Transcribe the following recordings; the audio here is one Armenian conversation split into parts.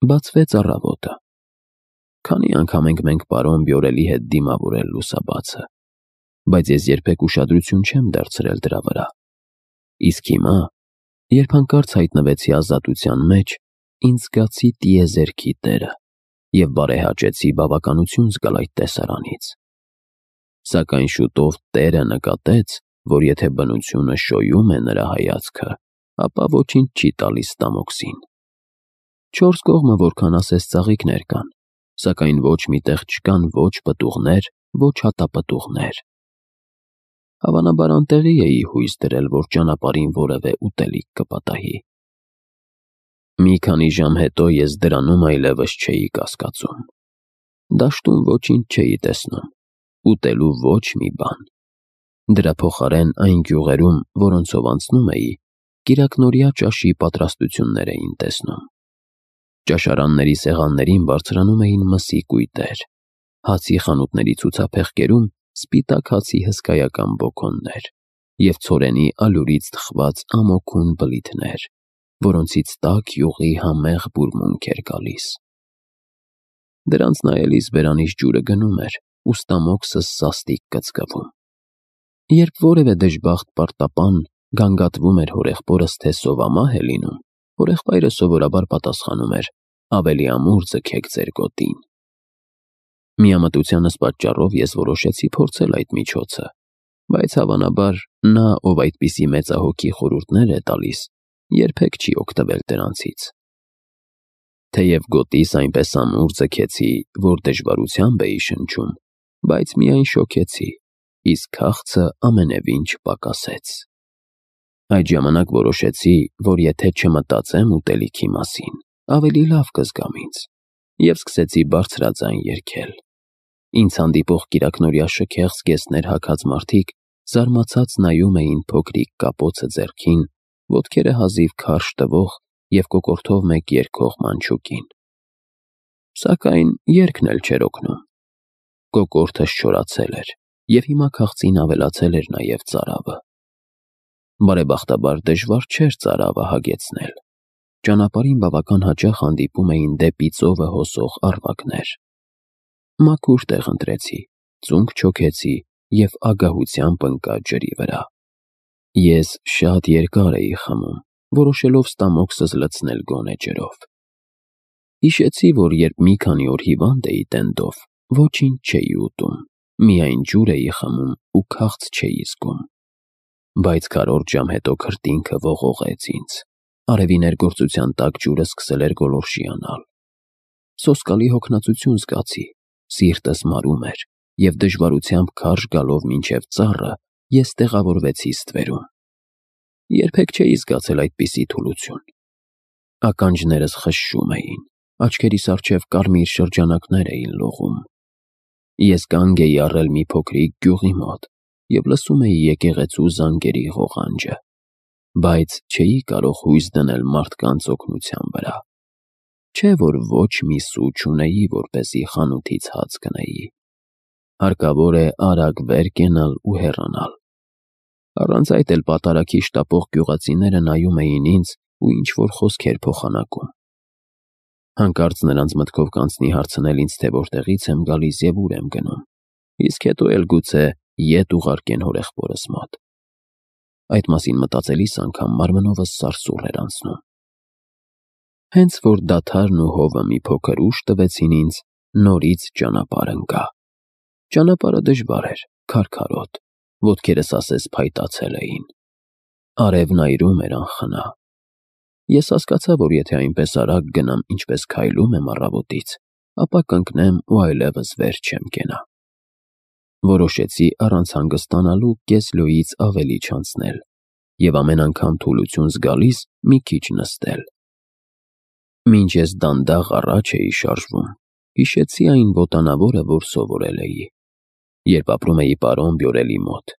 Բացվեց առավոտը։ Քանի անգամ ենք մենք պարոն Բյորելի հետ դիմավորել լուսաբացը, բայց ես երբեք ուշադրություն չեմ դարձրել դրա վրա։ Իսկ հիմա, երբ հանկարծ հայտնվեցի ազատության մեջ, ինձ զգացի տիեզերքի տերը և բարեհաճեցի բավականություն զգալ այդ տեսարանից։ Սակայն շուտով տերը նկատեց, որ եթե բնությունը շոյում է նրա հայացքը, ապա ոչինչ չի տալիս Ստամոքսին։ 4 կողմը որքան ասես ծաղիկներ կան, սակայն ոչ մի տեղ չկան ոչ պտուղներ, ոչ հատապտուղներ։ Հավանաբար անտեղի էի հույս դրել, որ ճանապարհին որևէ ուտելիք կպատահի։ Մի քանի ժամ հետո ես դրանում այլևս չէի կասկածում։ Դաշտում ոչինչ չէի տեսնում, ուտելու ոչ մի բան։ Դրա փոխարեն այն գյուղերում, որոնցով անցնում էի, կիրակնօրյա ճաշի պատրաստություններ էին տեսնում։ Ճաշարանների սեղաններին բարձրանում էին մսի կույտեր, հացի խանութների ցուցափեղկերում սպիտակ հացի հսկայական բոկոններ և ցորենի ալյուրից թխված ամոքուն բլիթներ, որոնցից տաք յուղի համեղ բուրմունք էր գալիս։ Դրանց նայելիս բերանից ջուրը գնում էր, ու Ստամոքսս սաստիկ կծկվում։ Երբ որևէ դժբախտ պարտապան գանգատվում էր հորեղբորս, թե սովամահ է լինում, հորեղբայրը սովորաբար պատասխանում էր. ավելի ամուր ձգեք ձեր գոտին։ Միամտությանս պատճառով ես որոշեցի փորձել այդ միջոցը, բայց հավանաբար նա, ով այդպիսի մեծահոգի խորհուրդներ է տալիս, երբեք չի օգտվել դրանցից։ Թեև գոտիս այնպես ամուր ձգեցի, որ դժվարությամբ էի շնչում, բայց միայն շոգեցի, իսկ քաղցը ամենևին չպակասեց։ Այդ ժամանակ որոշեցի, որ եթե չմտածեմ ուտելիքի մասին, ավելի լավ կզգամ ինձ, և սկսեցի բարձրաձայն երգել։ Ինձ հանդիպող կիրակնօրյա շքեղ զգեստներ հագած մարդիկ զարմացած նայում էին փոքրիկ կապոցը ձեռքին, ոտքերը հազիվ քարշ տվող և կոկորդով մեկ երգող մանչուկին։ Սակայն երգն էլ չէր օգնում։ Կոկորդս չորացել էր, և հիմա քաղցին ավելացել էր նաև ծարավը։ Բարեբախտաբար դժվար չէր ծարավը հագեցնել։ Ճանապարհին բավական հաճախ հանդիպում էին դեպի ծովը հոսող առվակներ։ Մաքուր տեղ ընտրեցի, ծունկ չոքեցի և ագահությամբ ընկա ջրի վրա։ Ես շատ երկար էի խմում, որոշելով Ստամոքսս լցնել գոնե ջրով։ Հիշեցի, որ երբ մի քանի օր հիվանդ էի տենդով, ոչինչ չէի ուտում, միայն ջուր էի խմում ու քաղց չէի զգում։ Բայց քառորդ ժամ հետո քրտինքը ողողեց ինձ։ Արևի ներգործության տակ ջուրը սկսել էր գոլորշիանալ։ Սոսկալի հոգնածություն զգացի, սիրտս մարում էր, և դժվարությամբ քարշ գալով մինչև ծառը, ես տեղավորվեցի ստվերում։ Երբեք չէի զգացել այդպիսի թուլություն։ Ականջներս խշշում էին, աչքերիս առջև կարմիր շրջանակներ էին լողում։ Ես կանգ էի առել մի փոքրիկ գյուղի մոտ և լսում էի եկեղեցու զանգերի ղողանջը, բայց չէի կարող հույս դնել մարդկանց օգնության վրա։ Չէ որ ոչ մի սու չունեի, որպեսզի խանութից հաց գնեի։ Հարկավոր է արագ վեր կենալ ու հեռանալ։ Առանց այդ էլ պատարագի շտապող գյուղացիները նայում էին ինձ ու ինչ-որ խոսքեր փոխանակում։ Հանկարծ նրանց մտքով կանցնի հարցնել ինձ, թե որտեղից եմ գալիս և ուր եմ գնում, իսկ հետո էլ գուցե ետ ուղարկեն հորեղբորս մոտ։ Այդ մասին մտածելիս անգամ մարմնովս սարսուռ էր անցնում։ Հենց որ դադարն ու հովը մի փոքր ուժ տվեցին ինձ, նորից ճանապարհ ընկա։ Ճանապարհը դժվար էր, քարքարոտ, ոտքերս ասես փայտացել էին։ Արևն այրում էր անխնա։ Ես հասկացա, որ եթե այնպես արագ գնամ, ինչպես քայլում եմ առավոտից, ապա կընկնեմ ու այլևս վեր չեմ կենա։ Որոշեցի առանց հանգստանալու կես լոյից ավելի չանցնել և ամեն անգամ թուլություն զգալիս մի քիչ նստել։ Մինչ ես դանդաղ առաջ էի շարժվում, հիշեցի այն ոտանավորը, որ սովորել էի, երբ ապրում էի պարոն Բյորելի մոտ։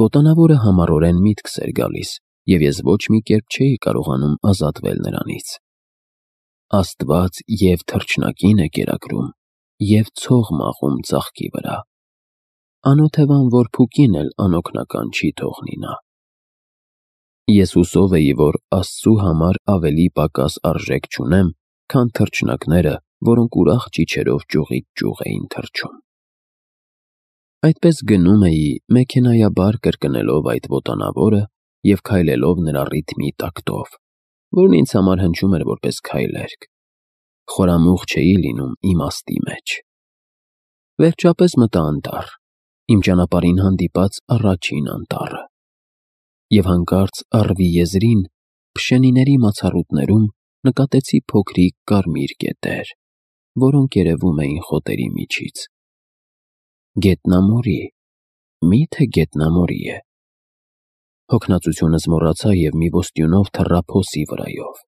Ոտանավորը համառորեն միտքս էր գալիս, և ես ոչ մի կերպ չէի կարողանում ազատվել նրանից։ Աստված և թռչնակին է կերակրում, և ցող մաղում ծաղկի վրա։ Անօթևան որ փուկին էլ անօգնական չի թողնի նա։ Ես հուսով էի, որ Աստծու համար ավելի պակաս արժեք չունեմ քան թռչնակները, որոնք ուրախ ճիչերով ճյուղից ճյուղ էին թռչում։ Այդպես գնում էի մեքենայաբար կրկնելով այդ ոտանավորը և քայլելով նրա ռիթմի տակտով, որն ինձ համար հնչում էր որպես քայլերգ։ Խորամուխ չէի լինում իմաստի մեջ։ Վերջապես մտա անտառ, իմ ճանապարհին հանդիպած առաջին անտառը, և հանկարծ առվի եզրին, փշենիների մացառուտներում նկատեցի փոքրիկ կարմիր կետեր, որոնք երևում էին խոտերի միջից։ Գետնամորի, միթե գետնամորի է։ Հոգնածությունս մոռացա և մի ոստյունով թռա փոսի վրայով։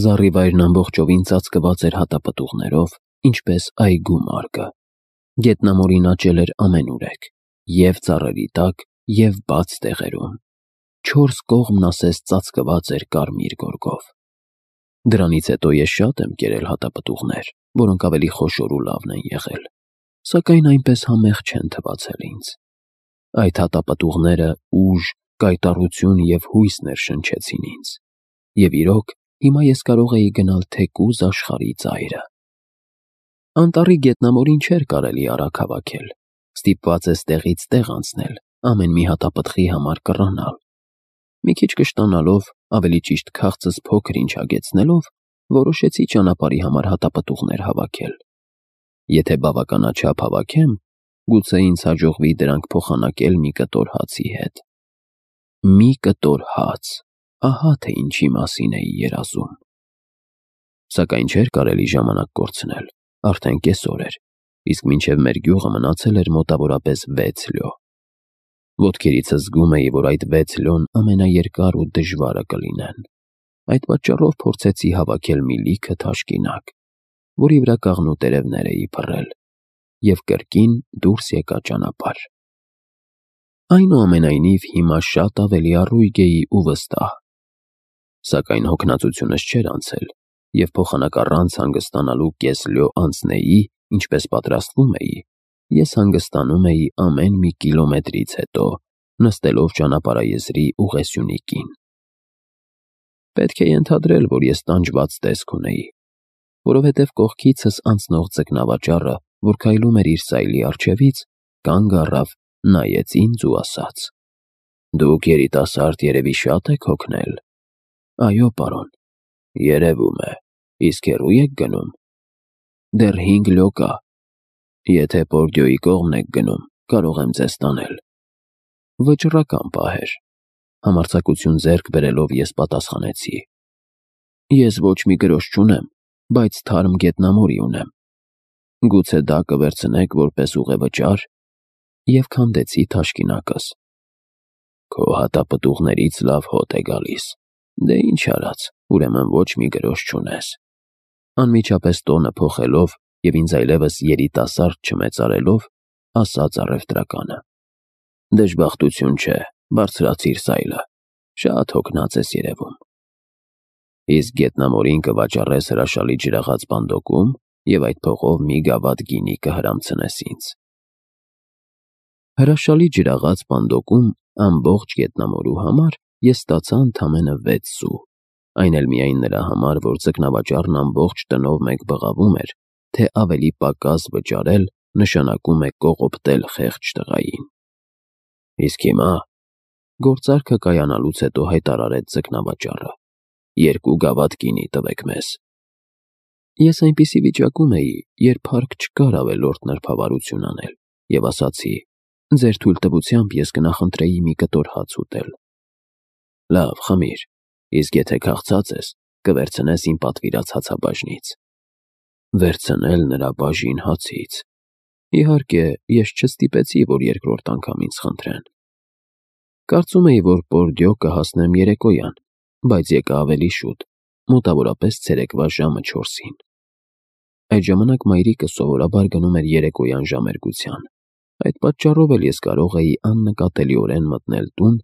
Զառիվայրն ամբողջովին ծածկված էր հատապտուղներով, ինչպես այգու մարգը։ Գետնամորին աճել էր ամենուրեք, և ծառերի տակ, և բաց տեղերում։ 4 կողմն ասես ծածկված էր կարմիր գորգով։ Դրանից հետո ես շատ եմ կերել հատապտուղներ, որոնք ավելի խոշոր ու լավն են եղել, սակայն այնպես համեղ չեն թվացել ինձ։ Այդ հատապտուղները ուժ, կայտառություն և հույս ներշնչեցին ինձ, և իրոք, հիմա ես կարող էի գնալ թեկուզ աշխարհի ծայրը։ Անտառի գետնամորին չէր կարելի արագ հավաքել, ստիպված ես տեղից տեղ անցնել, ամեն մի հատապտղի համար կռանալ։ Մի քիչ կշտանալով, ավելի ճիշտ քաղցս փոքր ինչ հագեցնելով, որոշեցի ճանապարհի համար հատապտուղներ հավաքել։ Եթե բավականաչափ հավաքեմ, գուցե ինձ հաջողվի դրանք փոխանակել մի կտոր հացի հետ։ Մի կտոր հաց, ահա թե ինչի մասին էի երազում։ Սակայն չէր կարելի ժամանակ կորցնել, արդեն կեսօր էր, իսկ մինչև մեր գյուղը մնացել էր մոտավորապես 6 լյո։ Ոտքերիցս զգում էի, որ այդ 6 լյոն ամենաերկար ու դժվարը կլինեն։ Այդ պատճառով փորձեցի հավաքել մի լիքը թաշկինակ, որի վրա կաղնու տերևներ էի փռել, և կրկին դուրս եկա ճանապարհ։ Այնուամենայնիվ, հիմա շատ ավելի առույգ էի ու վստահ։ Սակայն հոգնածությունս չէր անցել, և փոխանակ առանց հանգստանալու կես լյո անցնեի, ինչպես պատրաստվում էի, ես հանգստանում էի ամեն մի կիլոմետրից հետո, նստելով ճանապարհաեզրի ուղեսյունիկին։ Պետք է ենթադրել, որ ես տանջված տեսք ունեի, որովհետև կողքիցս անցնող ձկնավաճառը, որ քայլում էր իր սայլի առջևից, կանգ առավ, նայեց ինձ ու ասաց. «Դուք երիտասարդ երևի շատ եք հոգնել»։ «Այո, պարոն»։ «Երևում է, իսկ հեռու եք գնում»։ «Դեռ 5 լյո կա»։ «Եթե Պորդյոյի կողմն եք գնում, կարող եմ ձեզ տանել»։ Վճռական պահ էր։ Համարձակություն ձեռք բերելով ես պատասխանեցի. «Ես ոչ մի գրոշ չունեմ, բայց թարմ գետնամորի ունեմ։ Գուցե դա կվերցնեք որպես ուղևճար»։ Եվ քանդեցի թաշկինակս։ «Քո հատապտուղներից լավ հոտ է գալիս։ Դե ինչ արած, ուրեմն ոչ մի գրոշ չունես»։ Անմիջապես տոնը փոխելով և ինձ այլևս երիտասարդ չմեծարելով, ասաց առևտրականը. «Դժբախտություն չէ, բարձրացիր սայլը, շատ հոգնած ես երևում։ Իսկ գետնամորին կվաճառես հրաշալի ջրաղաց բանդոկում և այդ փողով մի գավաթ գինի կհրամցնես ինձ»։ Հրաշալի ջրաղաց բանդոկում ամբողջ գետնամորու համար ես ստացա ընդամենը 6 սու, այն էլ միայն նրա համար, որ ձկնավաճառն ամբողջ տնով մեկ բղավում էր, թե ավելի պակաս վճարել նշանակում է կողոպտել խեղճ տղային։ «Իսկ հիմա», գործարքը կայանալուց հետո հայտարարեց ձկնավաճառը, «2 գավաթ գինի տվեք մեզ»։ Ես այնպիսի վիճակում էի, երբ հարկ չկար ավելորդ նրբավարություն անել, և ասացի. «Ձեր թույլտվությամբ ես կնախընտրեի մի կտոր հաց ուտել»։ «Լավ, խմիր, իսկ եթե քաղցած ես, կվերցնես իմ պատվիրած հացաբաժնից»։ Վերցնել նրա բաժին հացից։ Իհարկե, ես չստիպեցի, որ երկրորդ անգամ ինձ խնդրեն։ Կարծում էի, որ Պորդյո կհասնեմ երեկոյան, բայց եկա ավելի շուտ, մոտավորապես ցերեկվա ժամը 4-ին։ Այդ ժամանակ մայրիկը սովորաբար գնում էր երեկոյան ժամերգության։ Այդ պատճառով էլ ես կարող էի աննկատելիորեն մտնել տուն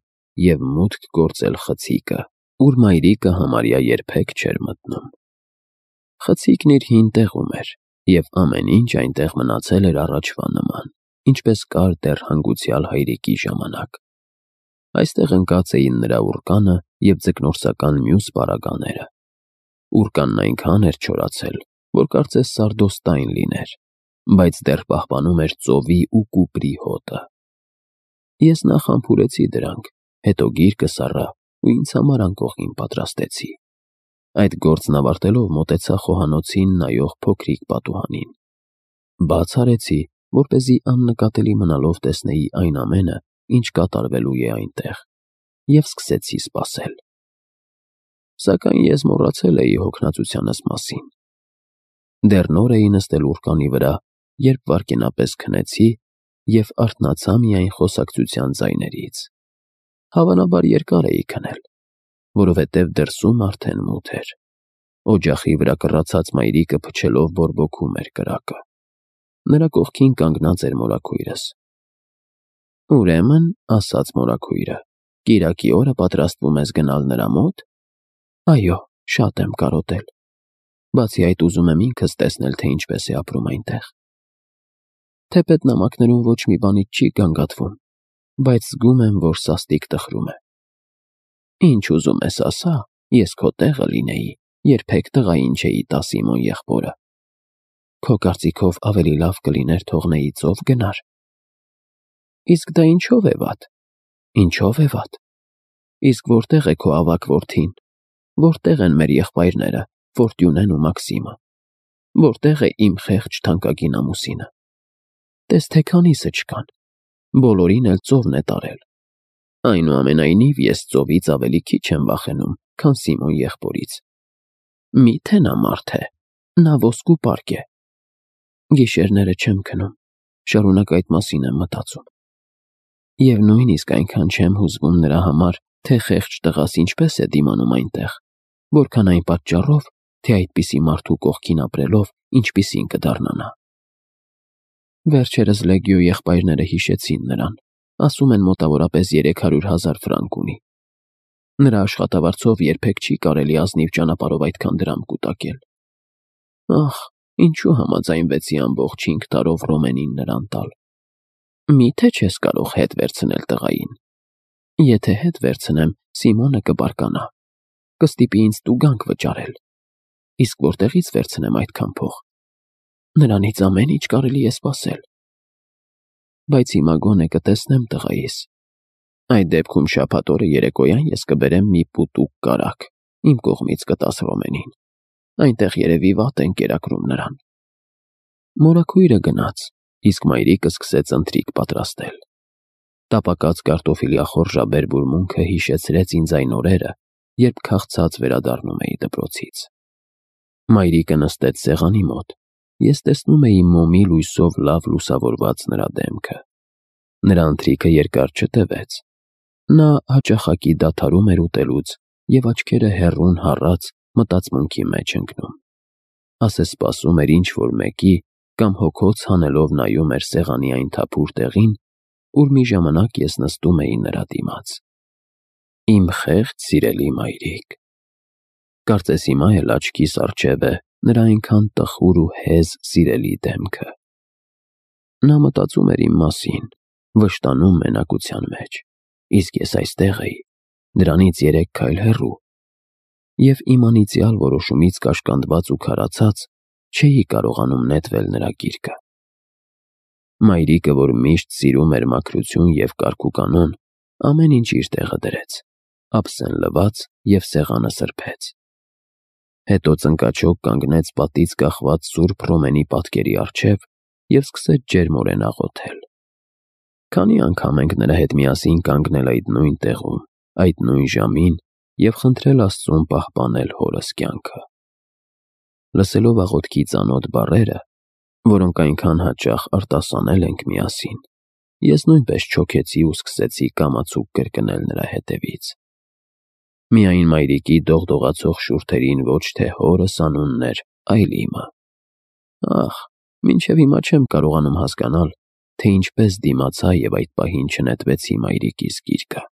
և մուտք գործել խցիկը, ուր մայրիկը համարյա երբեք չէր մտնում։ Խցիկն իր հին տեղում էր, և ամեն ինչ այնտեղ մնացել էր առաջվա նման, ինչպես կար դեռ հանգուցյալ հայրիկի ժամանակ։ Այստեղ ընկած էին նրա ուռկանը և ձկնորսական մյուս պարագաները։ Ուրկանն այնքան էր չորացել, որ կարծես սարդոստայն լիներ, բայց դեռ պահպանում էր ծովի ու կուպրի հոտը։ Ես նախ համբուրեցի դրանք, հետո գիրկը սառա ու ինձ համար անկողին պատրաստեցի։ Այդ գործն ավարտելով մոտեցա խոհանոցին նայող փոքրիկ պատուհանին։ Բաց արեցի, որպեսզի աննկատելի մնալով տեսնեի այն ամենը, ինչ կատարվելու է այնտեղ, և սկսեցի սպասել։ Սակայն ես մոռացել էի հոգնածությանս մասին։ Դեռ նոր էի նստել ուրկանի վրա, երբ վայրկենապես քնեցի և արթնացա միայն խոսակցության ձայներից։ Հավանաբար երկար էի քնել, որովհետև դրսում արդեն մութ էր։ Օջախի վրա կռացած մայրիկը փչելով բորբոքում էր կրակը։ Նրա կողքին կանգնած էր մորաքույրս։ «Ուրեմն, — ասաց մորաքույրը, — կիրակի օրը պատրաստվում ես գնալ նրա մոտ»։ «Այո, շատ եմ կարոտել։ Բացի այդ, ուզում եմ ինքս տեսնել, թե ինչպես է ապրում այնտեղ։ Թեպետ նամակներում ոչ մի բանից չի գանգատվում, բայց զգում եմ, որ սաստիկ տխրում է։ Ինչ ուզում ես ասա, ես քո տեղը լինեի, երբեք տղային չէի տա Սիմոն եղբորը։ Քո կարծիքով ավելի լավ կլիներ թողնեի ծով գնար։ Իսկ դա ինչով է վատ։ Ինչով է վատ։ Իսկ որտեղ է քո ավագ որդին։ Որտեղ են մեր եղբայրները, Ֆորտյունեն ու Մաքսիմը։ Որտեղ է իմ խեղճ թանկագին ամուսինը։ Տես թե քանիսը չկան։ Բոլորին էլ ծովն է տարել։ Այնուամենայնիվ ես ծովից ավելի քիչ եմ վախենում, քան Սիմոն եղբորից։ Մի՞թե նա մարդ է։ Նա ոսկու պարկ է։ Գիշերները չեմ քնում, շարունակ այդ մասին եմ մտածում։ Եվ նույնիսկ այնքան չեմ հուզվում նրա համար, թե խեղճ տղաս ինչպես է դիմանում այնտեղ, որքան այն պատճառով, թե այդպիսի մարդու կողքին ապրելով ինչպիսին կդառնա նա։ Վերջերս Լեգիո եղբայրները հիշեցին նրան, ասում են մոտավորապես 300,000 ֆրանկ ունի։ Նրա աշխատավարձով երբեք չի կարելի ազնիվ ճանապարհով այդքան դրամ կուտակել։ Ախ, ինչու համաձայնվեցի ամբողջ 5 տարով Ռոմենին նրան տալ։ Մի՞թե չես կարող հետ վերցնել տղային։ Եթե հետ վերցնեմ, Սիմոնը կբարկանա, կստիպի ինձ տուգանք վճարել։ Իսկ որտեղից վերցնեմ այդքան փող։ Նրանից ամեն ինչ կարելի է սպասել։ Բայց հիմա գոնե կտեսնեմ տղայիս։ Այդ դեպքում շաբաթ օրը երեկոյան ես կբերեմ մի պուտուկ կարագ, իմ կողմից կտաս Ռոմենին։ Այնտեղ երևի վատ են կերակրում նրան։ Մորաքույրը գնաց, իսկ մայրիկը սկսեց ընթրիք պատրաստել։ Տապակած կարտոֆիլի ախորժաբեր բուրմունքը հիշեցրեց ինձ այն օրերը, երբ քաղցած վերադառնում էի դպրոցից։ Մայրիկը նստեց սեղանի մոտ։ Ես տեսնում էի մոմի լույսով լավ լուսավորված նրա դեմքը։ Նրա ընթրիքը երկար չտևեց։ Նա հաճախակի դադարում էր ուտելուց և աչքերը հեռուն հառած մտածմունքի մեջ ընկնում։ Ասես սպասում էր ինչ-որ մեկի կամ հոգոց հանելով նայում էր սեղանի այն թափուր տեղին, ուր մի ժամանակ ես նստում էի նրա դիմաց։ Իմ խեղճ սիրելի մայրիկ։ Կարծես հիմա էլ աչքիս առջև է նրա այնքան տխուր ու հեզ սիրելի դեմքը։ Նա մտածում էր իմ մասին, վշտանում մենակության մեջ, իսկ ես այստեղ էի, դրանից 3 քայլ հեռու, և իմ անիծյալ որոշումից կաշկանդված ու քարացած չէի կարողանում նետվել նրա գիրկը։ Մայրիկը, որ միշտ սիրում էր մաքրություն և կարգուկանոն, ամեն ինչ իր տեղը դրեց, ափսեն լվաց և սեղանը սրբեց։ Հետո ծնկաչոք կանգնեց պատից կախված սուրբ Ռոմենի պատկերի առջև և սկսեց ջերմորեն աղոթել։ Քանի անգամ ենք նրա հետ միասին կանգնել այդ նույն տեղում, այդ նույն ժամին և խնդրել Աստծուն պահպանել հորս կյանքը։ Լսելով աղոթքի ծանոթ բառերը, որոնք այնքան հաճախ արտասանել ենք միասին, ես նույնպես չոքեցի ու սկսեցի կամացուկ կրկնել նրա հետևից։ Միայն մայրիկի դողդողացող շուրթերին ոչ թե հորս անունն էր, այլ իմը։ Ախ, մինչև հիմա չեմ կարողանում հասկանալ, թե ինչպես դիմացա և այդ պահին չնետվեցի մայրիկիս գիրկը։